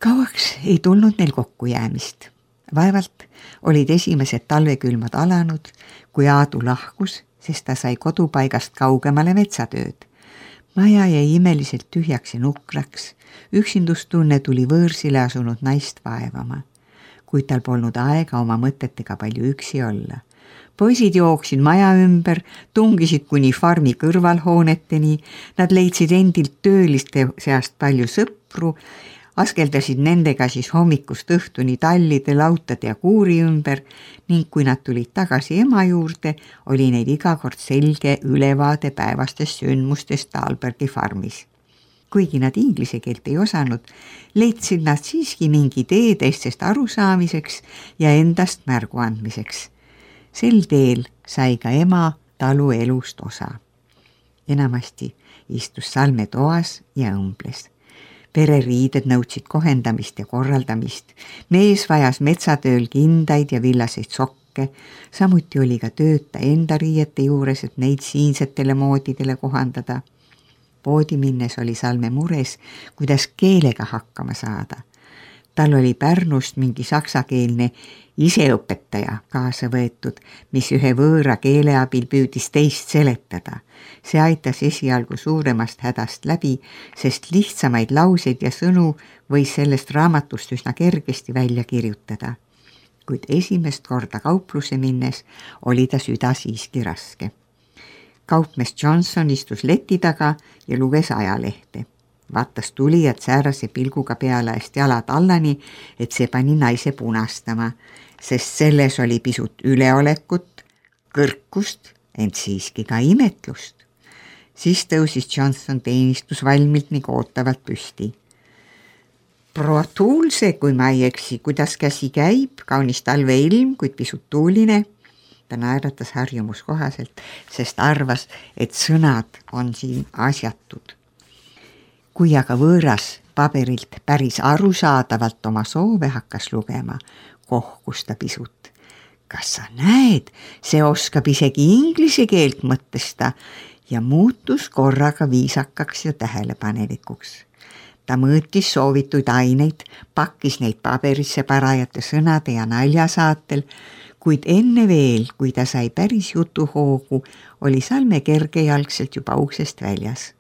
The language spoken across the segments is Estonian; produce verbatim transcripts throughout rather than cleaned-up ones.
Kauaks ei tulnud neil kokkujäämist. Vaevalt olid esimesed talvekülmad alanud, kui Aadu lahkus, sest ta sai kodupaigast kaugemale metsatööd. Maja jäi imeliselt tühjaks ja nukraks. Üksindustunne tuli võõrsile asunud naist vaevama, kuid tal polnud aega oma mõtetega palju üksi olla. Poisid jooksid maja ümber, tungisid kuni farmi kõrvalhooneteni, nad leidsid endilt tööliste seast palju sõpru, askeldasid nendega siis hommikust õhtuni tallide, lautade ja kuuri ümber ning kui nad tulid tagasi ema juurde, oli neil iga kord selge ülevaade päevastest sündmustest Alberti farmis. Kuigi nad inglise keelt ei osanud, leidsid nad siiski mingi tee teistest arusaamiseks ja endast märgu andmiseks. Sel teel sai ka ema talu elust osa. Enamasti istus Salme toas ja õmbles. Pereriided nõudsid kohendamist ja korraldamist. Mees vajas metsatööl kindaid ja villaseid sokke. Samuti oli ka tööta enda riiete juures, et neid siinsetele moodidele kohandada. Poodi minnes oli Salme mures, kuidas keelega hakkama saada. Tal oli Pärnust mingi saksakeelne iseõpetaja kaasa võetud, mis ühe võõra keele abil püüdis teist seletada. See aitas esialgu suuremast hädast läbi, sest lihtsamaid lauseid ja sõnu võis sellest raamatust üsna kergesti välja kirjutada. Kuid esimest korda kaupluse minnes oli ta süda siiski raske. Kaupmees Johnson istus leti taga ja luges ajalehte. Vaatas tulijad säärase pilguga peale hästi jalad allani, et see pani naise punastama, sest selles oli pisut üleolekut, kõrkust, ent siiski ka imetlust. Siis tõusis Johnson teenistusvalmilt ning ootavalt püsti. Proua Tuulse, kui ma ei eksi, kuidas käsi käib, kaunis talveilm, kuid pisut tuuline. Ta naeratas harjumuskohaselt, sest arvas, et sõnad on siin asjatud. Kui aga võõras paberilt päris arusaadavalt oma soove hakkas lugema, kohkus ta pisut. Kas sa näed, see oskab isegi inglise keelt, mõtles ta ja muutus korraga viisakaks ja tähelepanelikuks. Ta mõõtis soovituid aineid, pakkis neid paberisse parajate sõnade ja naljasaatel, kuid enne veel, kui ta sai päris jutuhoogu, oli Salme kergejalgselt juba uksest väljas.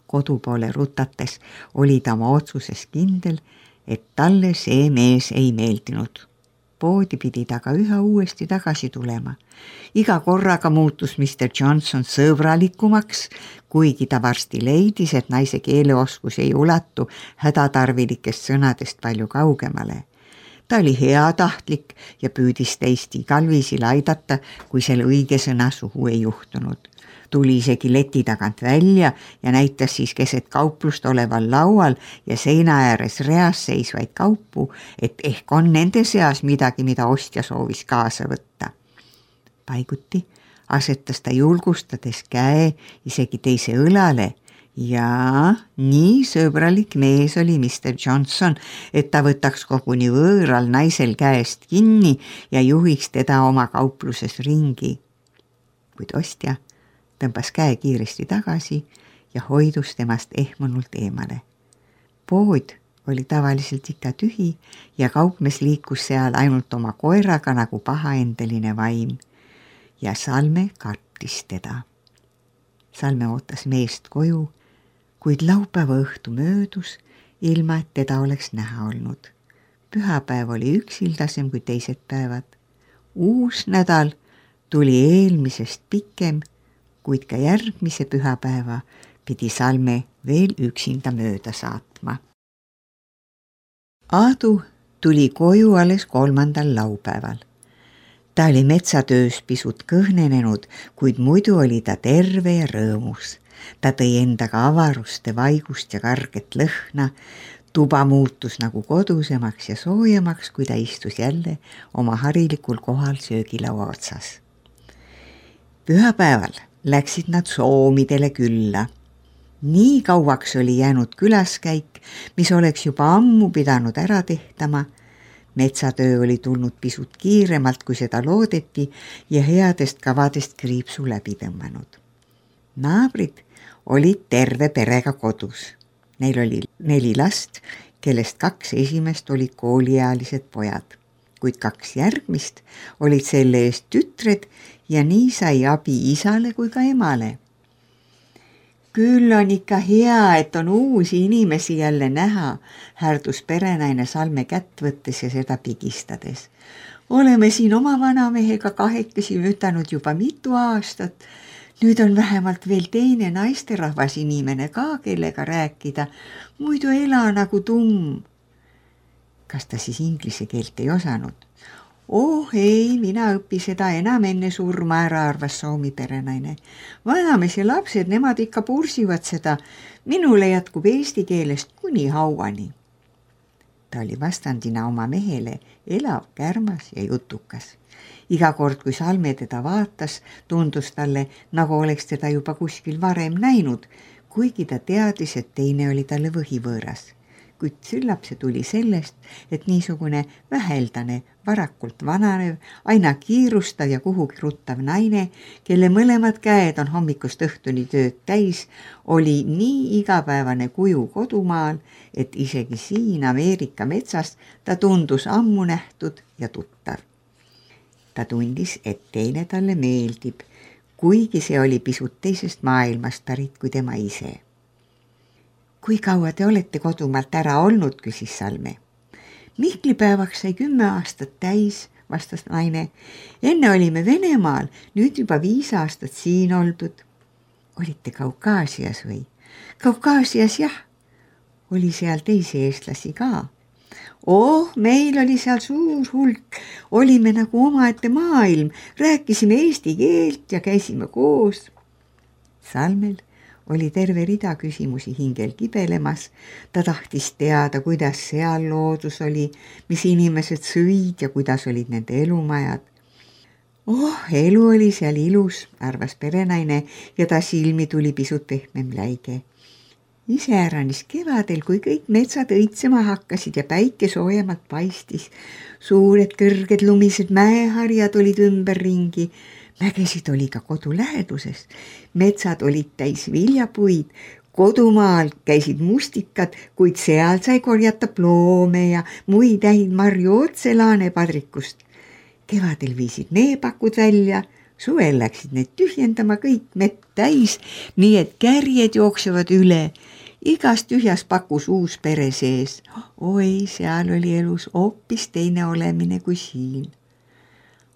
Kodu poole rutates oli ta oma otsuses kindel, et talle see mees ei meeldinud. Poodi pidi ta ka üha uuesti tagasi tulema. Iga korraga muutus mister Johnson sõbralikumaks, kuigi ta varsti leidis, et naise keeleoskus ei ulatu hädatarvilikest sõnadest palju kaugemale. Ta oli heatahtlik ja püüdis teist igal viisil aidata, kui selle õige sõna suhu ei juhtunud. Tuli isegi leti tagant välja ja näitas siis keset kauplust oleval laual ja seina ääres reas seisvaid kaupu, et ehk on nende seas midagi, mida ostja soovis kaasa võtta. Paiguti asetas ta julgustades käe isegi teise õlale ja nii sõbralik mees oli mister Johnson, et ta võtaks koguni võõral naisel käest kinni ja juhiks teda oma kaupluses ringi. Kuid ostja tõmbas käe kiiresti tagasi ja hoidus temast ehmunult eemale. Pood oli tavaliselt ikka tühi ja kaupmees liikus seal ainult oma koeraga nagu pahaendeline vaim ja Salme kartis teda. Salme ootas meest koju, kuid laupäeva õhtu möödus, ilma et teda oleks näha olnud. Pühapäev oli üksildasem kui teised päevad. Uus nädal tuli eelmisest pikem, kuid ka järgmise pühapäeva pidi Salme veel üksinda mööda saatma. Aadu tuli koju alles kolmandal laupäeval. Ta oli metsatöös pisut kõhnenenud, kuid muidu oli ta terve ja rõõmus. Ta tõi endaga avaruste vaigust ja karget lõhna. Tuba muutus nagu kodusemaks ja soojemaks, kui ta istus jälle oma harilikul kohal söögilaua otsas. Pühapäeval läksid nad soomidele külla. Nii kauaks oli jäänud külaskäik, mis oleks juba ammu pidanud ära tehtama. Metsatöö oli tulnud pisut kiiremalt, kui seda loodeti ja headest kavadest kriipsu läbi tõmmanud. Naabrid olid terve perega kodus. Neil oli neli last, kellest kaks esimest olid kooliealised pojad, kuid kaks järgmist olid selle eest tütred ja nii sai abi isale kui ka emale. Küll on ikka hea, et on uusi inimesi jälle näha, härdus perenaine Salme kätt võttes ja seda pigistades. Oleme siin oma vanamehega kahekesi mütanud juba mitu aastat. Nüüd on vähemalt veel teine naisterahvas inimene ka, kellega rääkida. Muidu ela nagu tumm. Kas ta siis inglise keelt ei osanud? Oh ei, mina õppi seda enam enne surma ära, arvas Soomi perenaine. Vanamees ja lapsed, nemad ikka pursivad seda. Minule jätkub eesti keelest kuni hauani. Ta oli vastandina oma mehele elav, kärmas ja jutukas. Iga kord, kui Salme teda vaatas, tundus talle, nagu oleks teda juba kuskil varem näinud, kuigi ta teadis, et teine oli talle võhivõõras. Kuid süllab see tuli sellest, et niisugune väheldane, varakult vananev, aina kiirustav ja kuhugi ruttav naine, kelle mõlemad käed on hommikust õhtuni tööd täis, oli nii igapäevane kuju kodumaal, et isegi siin Ameerika metsas ta tundus ammu nähtud ja tuttav. Ta tundis, et teine talle meeldib, kuigi see oli pisut teisest maailmast pärit kui tema ise. Kui kaua te olete kodumaalt ära olnud, küsis Salme. Mihklipäevaks sai kümme aastat täis, vastas naine. Enne olime Venemaal, nüüd juba viis aastat siin oldud. Olite Kaukaasias või? Kaukaasias jah. Oli seal teisi eestlasi ka. Oh, meil oli seal suur hulk. Olime nagu omaette maailm. Rääkisime eesti keelt ja käisime koos. Salmel oli terve rida küsimusi hingel kibelemas. Ta tahtis teada, kuidas seal loodus oli, mis inimesed sõid ja kuidas olid nende elumajad. Oh, elu oli seal ilus, arvas perenaine ja ta silmi tuli pisut pehmem läige. Iseäranis kevadel, kui kõik metsad õitsema hakkasid ja päike soojemalt paistis. Suured kõrged lumised mäeharjad olid ümberringi. Mägesid oli ka kodu läheduses. Metsad olid täis viljapuid. Kodumaal käisid mustikad, kuid seal sai korjata ploome ja muid häid marju otse laanepadrikust. Kevadel viisid neepakud välja. Suvel läksid need tühjendama kõik mett täis, nii et kärjed jooksevad üle. Igas tühjas pakus uus pere sees. Oi, seal oli elus hoopis teine olemine kui siin.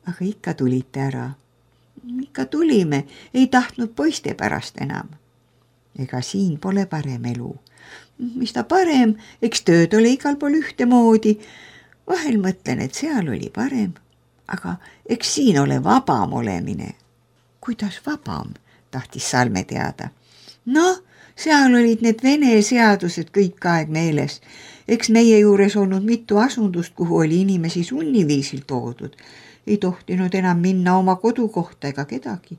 Aga ikka tulite ära. Ikka tulime, ei tahtnud poiste pärast enam. Ega siin pole parem elu. Mis ta parem, eks tööd ole igal pool ühtemoodi. Vahel mõtlen, et seal oli parem, aga eks siin ole vabam olemine. Kuidas vabam, tahtis Salme teada. Noh, seal olid need vene seadused kõik aeg meeles. Eks meie juures olnud mitu asundust, kuhu oli inimesi sunniviisil toodud. Ei tohtinud enam minna oma kodukohta ega kedagi.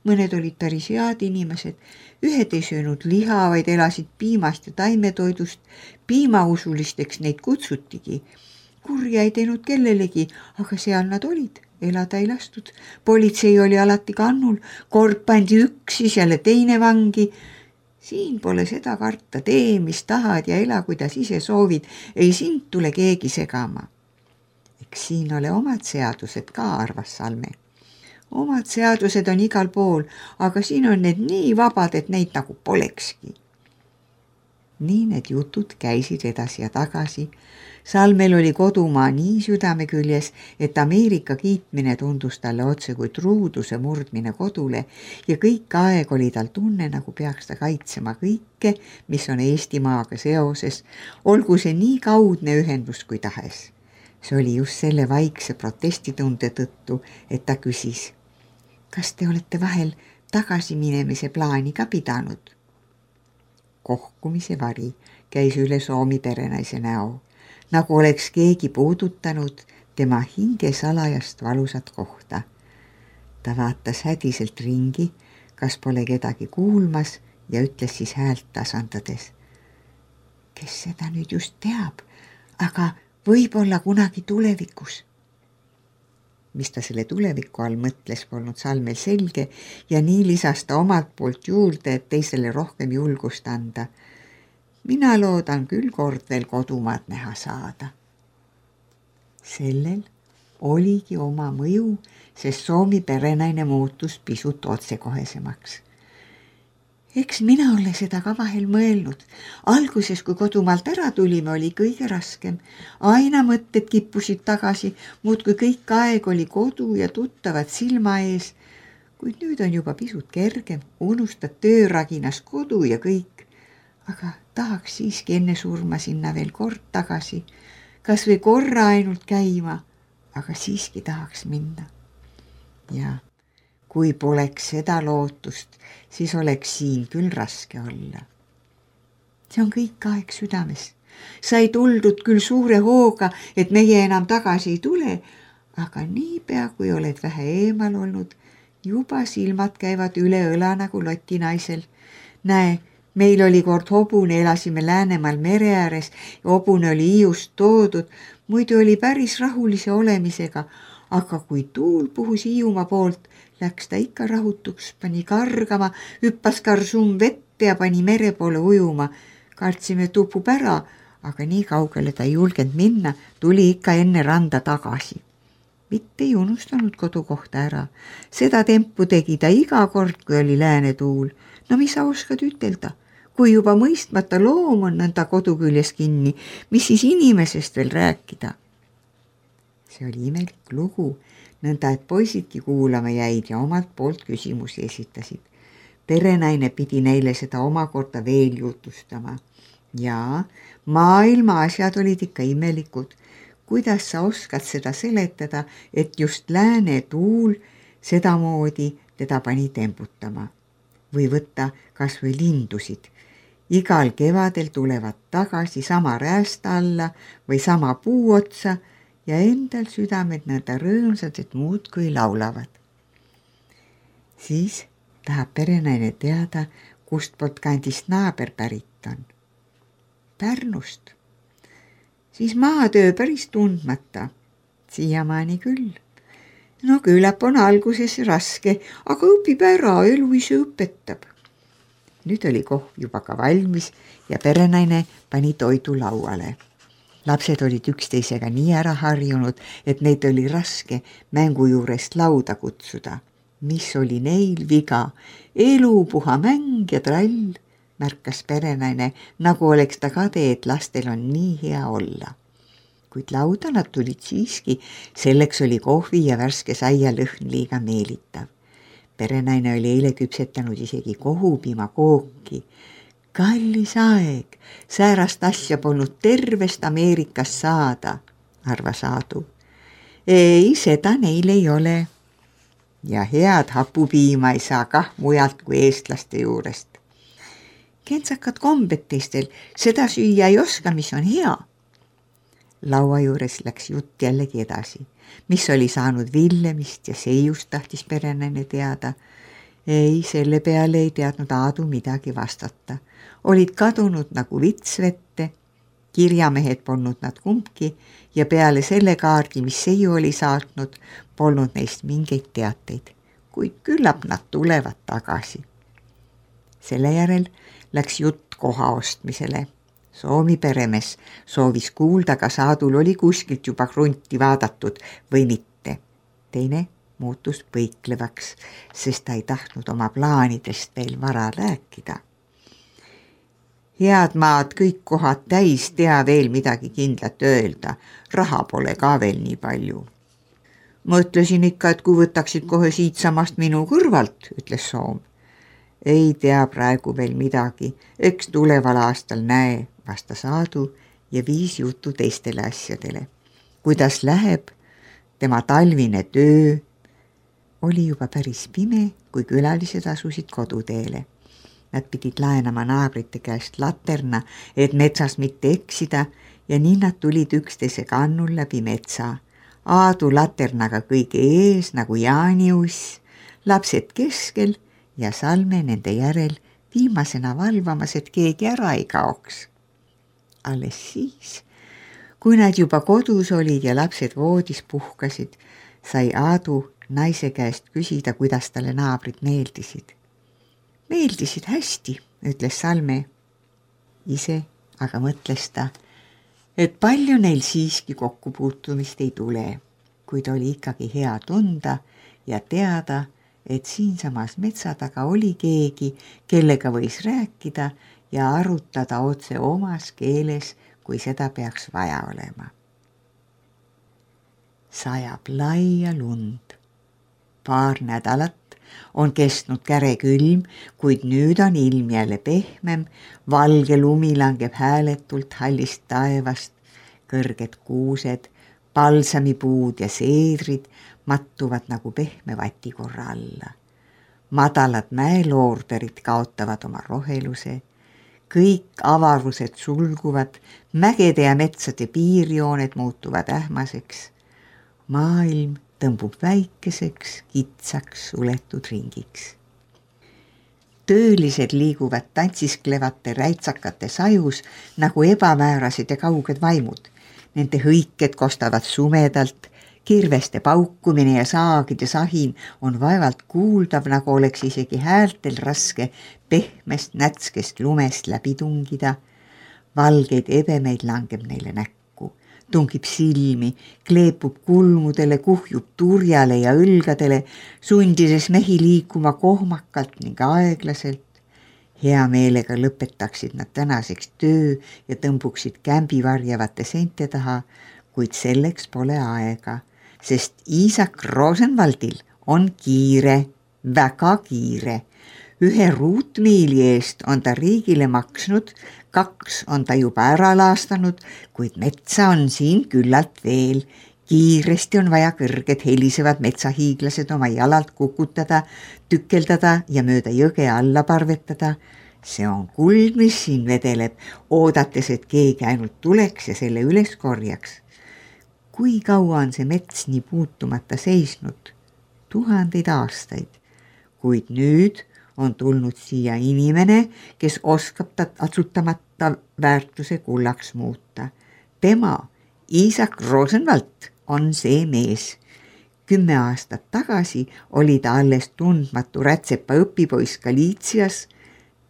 Mõned olid päris head inimesed. Ühed ei söönud liha, vaid elasid piimast ja taimetoidust. Piimausulisteks neid kutsutigi. Kurja ei teinud kellelegi, aga seal nad olid. Elada ei lastud. Politsei oli alati kannul. Kord pandi üks, siis jälle teine vangi. Siin pole seda karta, tee, mis tahad ja ela, kuidas ise soovid. Ei sind tule keegi segama. Eks siin ole omad seadused ka, arvas Salme. Omad seadused on igal pool, aga siin on need nii vabad, et neid nagu polekski. Nii need jutud käisid edasi ja tagasi. Salmel oli kodumaa nii südame küljes, et Ameerika kiitmine tundus talle otse kui truuduse murdmine kodule ja kõik aeg oli tal tunne, nagu peaks ta kaitsema kõike, mis on Eestimaaga seoses, olgu see nii kaudne ühendus kui tahes. See oli just selle vaikse protestitunde tõttu, et ta küsis, kas te olete vahel tagasiminemise plaani ka pidanud? Kohkumise vari käis üle Soomi perenaise näo, nagu oleks keegi puudutanud tema hinge salajast valusat kohta. Ta vaatas hädiselt ringi, kas pole kedagi kuulmas ja ütles siis häält tasandades. Kes seda nüüd just teab, aga võib-olla kunagi tulevikus. Mis ta selle tuleviku all mõtles, polnud Salmel selge ja nii lisas ta omalt poolt juurde, et teisele rohkem julgust anda. mina loodan küll kord veel kodumaad näha saada. Sellel oligi oma mõju, sest Soomi perenaine muutus pisut otsekohesemaks. Eks mina ole seda ka vahel mõelnud. Alguses, kui kodumaalt ära tulime, oli kõige raskem. Aina mõtted kippusid tagasi, muudkui kõik aeg oli kodu ja tuttavad silma ees. Kuid nüüd on juba pisut kergem, unustad tööraginas kodu ja kõik. Aga tahaks siiski enne surma sinna veel kord tagasi. Kas või korra ainult käima, aga siiski tahaks minna. Ja kui poleks seda lootust, siis oleks siin küll raske olla. See on kõik aeg südames. Sai tuldud küll suure hooga, et meie enam tagasi ei tule, aga niipea, kui oled vähe eemal olnud, juba silmad käivad üle õla nagu lotinaisel. Näe, meil oli kord hobune, elasime Läänemaal mere ääres ja hobune oli Hiiust toodud, muidu oli päris rahulise olemisega, aga kui tuul puhus Hiiumaa poolt, läks ta ikka rahutuks, pani kargama, hüppas karsum vette ja pani mere poole ujuma. Kartsime tupub ära, aga nii kaugele ta ei julgenud minna, tuli ikka enne randa tagasi. Mitte ei unustanud kodukohta ära. Seda tempu tegi ta iga kord, kui oli lääne tuul. No mis sa oskad ütelda? Kui juba mõistmata loom on nõnda kodu küljes kinni, mis siis inimesest veel rääkida? See oli imelik lugu, nõnda et poisidki kuulama jäid ja omalt poolt küsimusi esitasid. Perenaine pidi neile seda omakorda veel jutustama. Ja maailma asjad olid ikka imelikud. Kuidas sa oskad seda seletada, et just lääne tuul sedamoodi teda pani temputama? Või võtta kas või lindusid. Igal kevadel tulevad tagasi sama räästa alla või sama puu otsa ja endal südamed nõnda rõõmsad, et muud kui laulavad. Siis tahab perenaine teada, kust poolt kandist naaber pärit on. Pärnust. Siis maatöö päris tundmata. Siiamaani küll. No küllap on alguses raske, aga õpib ära, elu ise õpetab. Nüüd oli kohv juba ka valmis ja perenaine pani toidu lauale. Lapsed olid üksteisega nii ära harjunud, et neid oli raske mängu juurest lauda kutsuda. Mis oli neil viga? Elu, puha mäng ja trall, märkas perenaine, nagu oleks ta kade, et lastel on nii hea olla. Kuid lauda nad tulid siiski, selleks oli kohvi ja värske saia lõhn liiga meelitav. Perenaine oli eile küpsetanud isegi kohupiima kooki. Kallis aeg, säärast asja polnud tervest Ameerikas saada, arvas Aadu. Ei, seda neil ei ole. Ja head hapupiima ei saa kah mujalt kui eestlaste juurest. Kentsakad kombed teistel, seda süüa ei oska, mis on hea. Laua juures läks jutt jällegi edasi, mis oli saanud Villemist ja Seiust tahtis perenaine teada. Ei, selle peale ei teadnud Aadu midagi vastata. Olid kadunud nagu vitsvette, kirjamehed polnud nad kumbki ja peale selle kaardi, mis Seiu oli saatnud, polnud neist mingeid teateid, kuid küllap nad tulevad tagasi. Selle järel läks jutt koha ostmisele. Soomi peremees soovis kuulda, kas Aadul oli kuskilt juba krunti vaadatud või mitte. Teine muutus põiklevaks, sest ta ei tahtnud oma plaanidest veel vara rääkida. Head maad, kõik kohad täis, tea veel midagi kindlat öelda. Raha pole ka veel nii palju. Mõtlesin ikka, et kui võtaksid kohe siitsamast minu kõrvalt, ütles Soom. Ei tea praegu veel midagi, eks tuleval aastal näe, vastas Aadu ja viis jutu teistele asjadele. Kuidas läheb tema talvine töö? Oli juba päris pime, kui külalised asusid koduteele. Nad pidid laenama naabrite käest laterna, et metsas mitte eksida ja nii nad tulid üksteise kannul läbi metsa. Aadu laternaga kõige ees nagu jaaniuss, lapsed keskel ja Salme nende järel viimasena valvamas, et keegi ära ei kaoks. Alles siis, kui nad juba kodus olid ja lapsed voodis puhkasid, sai Aadu naise käest küsida, kuidas talle naabrid meeldisid. Meeldisid hästi, ütles Salme. Ise aga mõtles ta, et palju neil siiski kokkupuutumist ei tule, kuid oli ikkagi hea tunda ja teada, et siinsamas metsa taga oli keegi, kellega võis rääkida ja arutada otse omas keeles, kui seda peaks vaja olema. Sajab laia lund. Paar nädalat on kestnud kärekülm, kuid nüüd on ilm jälle pehmem, valge lumi langeb hääletult hallist taevast, kõrged kuused, palsamipuud ja seedrid mattuvad nagu pehme vatikorra alla. Madalad mäeloorderid kaotavad oma roheluse, kõik avarused sulguvad, mägede ja metsade piirjooned muutuvad ähmaseks, maailm tõmbub väikeseks, kitsaks, suletud ringiks. Töölised liiguvad tantsisklevate räitsakate sajus nagu ebamäärased ja kauged vaimud. Nende hõiked kostavad sumedalt, kirveste paukumine ja saagide sahin on vaevalt kuuldav, nagu oleks isegi häältel raske pehmest nätskest lumest läbi tungida. Valgeid ebemeid langeb neile näkku, tungib silmi, kleepub kulmudele, kuhjub turjale ja õlgadele, sundides mehi liikuma kohmakalt ning aeglaselt. Hea meelega lõpetaksid nad tänaseks töö ja tõmbuksid kämbi varjavate seinte taha, kuid selleks pole aega, sest Iisak Rosenvaldil on kiire, väga kiire. Ühe ruutmiili eest on ta riigile maksnud, kaks on ta juba ära laastanud, kuid metsa on siin küllalt veel. Kiiresti on vaja kõrged helisevad metsahiiglased oma jalalt kukutada, tükeldada ja mööda jõge alla parvetada. See on kuld, mis siin vedeleb, oodates, et keegi ainult tuleks ja selle üles korjaks. Kui kaua on see mets nii puutumata seisnud? Tuhandeid aastaid. Kuid nüüd on tulnud siia inimene, kes oskab ta atsutamata väärtuse kullaks muuta. Tema, Iisak Rosenvald, on see mees. Kümme aastat tagasi oli ta alles tundmatu rätsepa õpipoiss Galiitsias.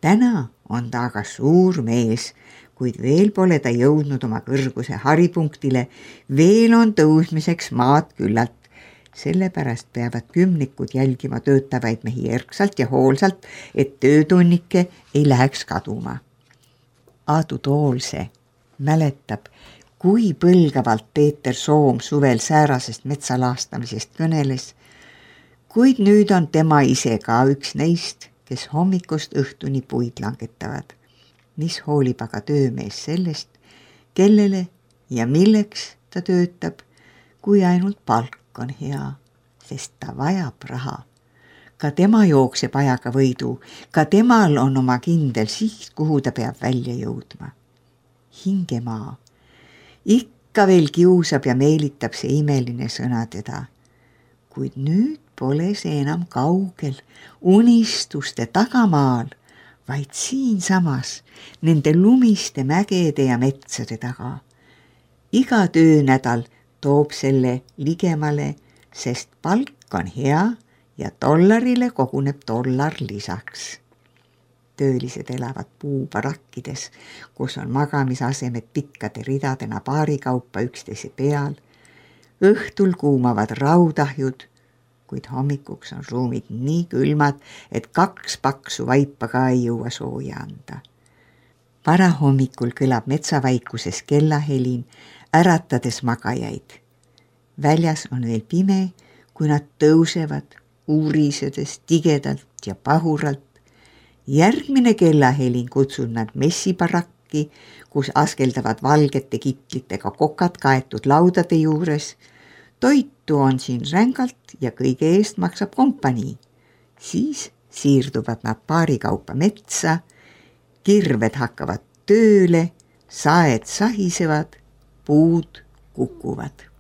Täna on ta aga suur mees, kuid veel pole ta jõudnud oma kõrguse haripunktile, veel on tõusmiseks maad küllalt. Sellepärast peavad kümnikud jälgima töötavaid mehi erksalt ja hoolsalt, et töötunnike ei läheks kaduma. Aadu Toolse mäletab, kui põlgavalt Peeter Soom suvel säärasest metsalaastamisest kõneles, kuid nüüd on tema ise ka üks neist, kes hommikust õhtuni puid langetavad. Mis hoolib aga töömees sellest, kellele ja milleks ta töötab, kui ainult palk on hea, sest ta vajab raha. Ka tema jookseb ajaga võidu, ka temal on oma kindel siht, kuhu ta peab välja jõudma. Hingemaa. Ikka veel kiusab ja meelitab see imeline sõna teda. Kuid nüüd pole see enam kaugel, unistuste tagamaal, vaid siinsamas, nende lumiste mägede ja metsade taga. Iga töönädal toob selle ligemale, sest palk on hea ja dollarile koguneb dollar lisaks. Töölised elavad puubarakkides, kus on magamisasemed pikkade ridadena paarikaupa üksteise peal. Õhtul kuumavad raudahjud, kuid hommikuks on ruumid nii külmad, et kaks paksu vaipa ka ei jõua sooja anda. Varahommikul kõlab metsavaikuses kellahelin, äratades magajaid. Väljas on veel pime, kui nad tõusevad, uurisedes tigedalt ja pahuralt. Järgmine kellahelin kutsub nad messibarakki, kus askeldavad valgete kitlitega kokad kaetud laudade juures. Toitu on siin rängalt ja kõige eest maksab kompanii. Siis siirduvad nad paarikaupa metsa, kirved hakkavad tööle, saed sahisevad, puud kukuvad.